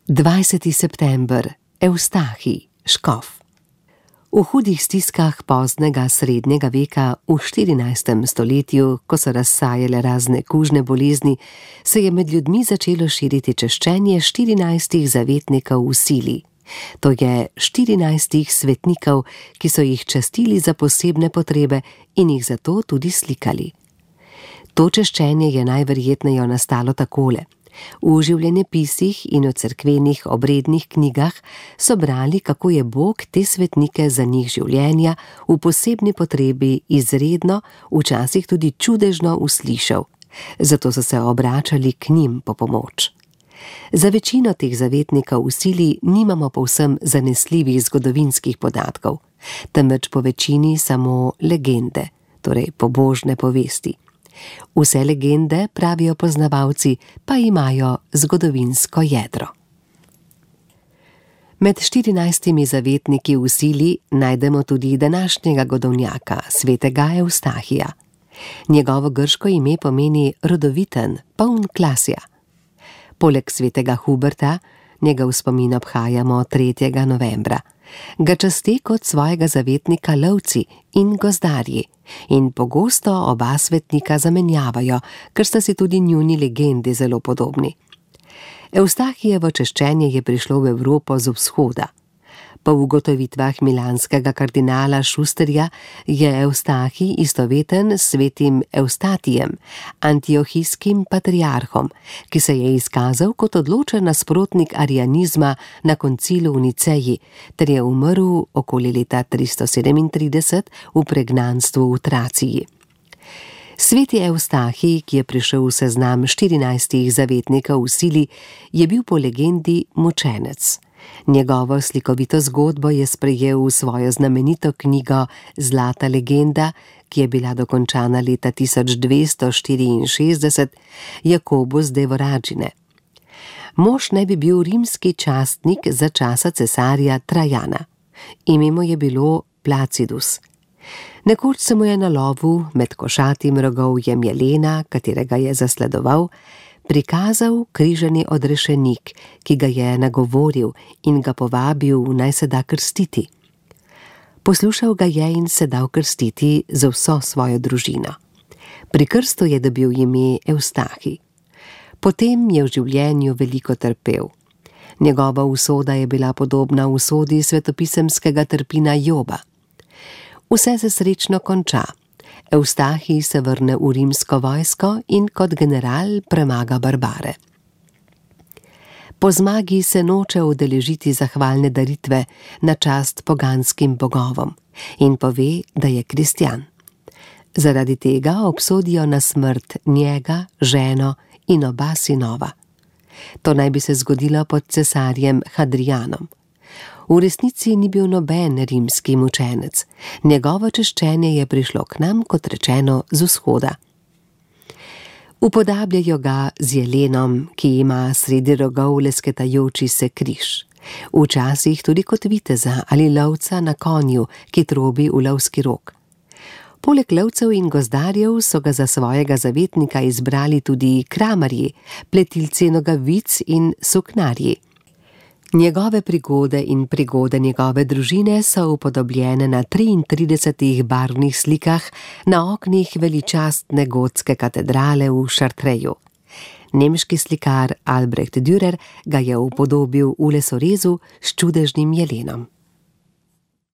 20. september, Evstahij, škof. V hudih stiskah poznega srednjega veka v 14. stoletju, ko so razsajale razne kužne bolezni, se je med ljudmi začelo širiti češčenje 14 zavetnikov v sili. To je 14 svetnikov, ki so jih častili za posebne potrebe in jih zato tudi slikali. To češčenje je najverjetneje nastalo takole. V življenjepisih in v cerkvenih obrednih knjigah so brali, kako je Bog te svetnike za njih življenja v posebni potrebi izredno, včasih tudi čudežno uslišal. Zato so se obračali k njim po pomoč. Za večino teh zavetnikov v sili nimamo povsem zanesljivih zgodovinskih podatkov, temveč po večini samo legende, torej pobožne povesti. Vse legende, pravijo poznavalci, pa imajo zgodovinsko jedro. Med 14 zavetniki v sili najdemo tudi današnjega godovnjaka, svetega Evstahija. Njegovo grško ime pomeni rodoviten, poln klasja. Poleg svetega Huberta, njegov spomin obhajamo 3. novembra, ga časti kot svojega zavetnika lovci in gozdarji in pogosto oba svetnika zamenjavajo, ker sta si tudi njuni legendi zelo podobni. Evstahijevo češčenje je prišlo v Evropo z vzhoda. Po ugotovitvah milanskega kardinala Šusterja je Evstahij istoveten s svetim Evstatijem, antiohijskim patriarhom, ki se je izkazal kot odločen nasprotnik arianizma na koncilu v Niceji, ter je umrl okoli leta 337 v pregnanstvu v Traciji. Sveti Evstahij, ki je prišel v seznam 14 zavetnikov v sili, je bil po legendi mučenec. Njegovo slikovito zgodbo je sprejel v svojo znamenito knjigo Zlata legenda, ki je bila dokončana leta 1264, Jakobus de Voragine. Mož naj bi bil rimski častnik za časa cesarja Trajana. Ime mu je bilo Placidus. Nekoč se mu je na lovu med košatim rogovjem jelena, katerega je zasledoval, prikazal križani odrešenik, ki ga je nagovoril in ga povabil, naj se da krstiti. Poslušal ga je in se dal krstiti za vso svojo družino. Pri krstu je dobil ime Evstahij. Potem je v življenju veliko trpel. Njegova usoda je bila podobna usodi svetopisemskega trpina Joba. Vse se srečno konča. Evstahij se vrne v rimsko vojsko in kot general premaga barbare. Po zmagi se noče udeležiti zahvalne daritve na čast poganskim bogovom in pove, da je kristjan. Zaradi tega obsodijo na smrt njega, ženo in oba sinova. To naj bi se zgodilo pod cesarjem Hadrianom. V resnici ni bil noben rimski mučenec. Njegovo češčenje je prišlo k nam, kot rečeno, z vzhoda. Upodabljajo ga z jelenom, ki ima sredi rogov lesketajoči se križ. Včasih tudi kot viteza ali lovca na konju, ki trobi v lovski rog. Poleg lovcev in gozdarjev so ga za svojega zavetnika izbrali tudi kramarji, pletilci nogavic in suknarji. Njegove prigode in prigode njegove družine so upodobljene na 33 barvnih slikah na oknih veličastne gotske katedrale v Chartreju. Nemški slikar Albrecht Dürer ga je upodobil v lesorezu s čudežnim jelenom.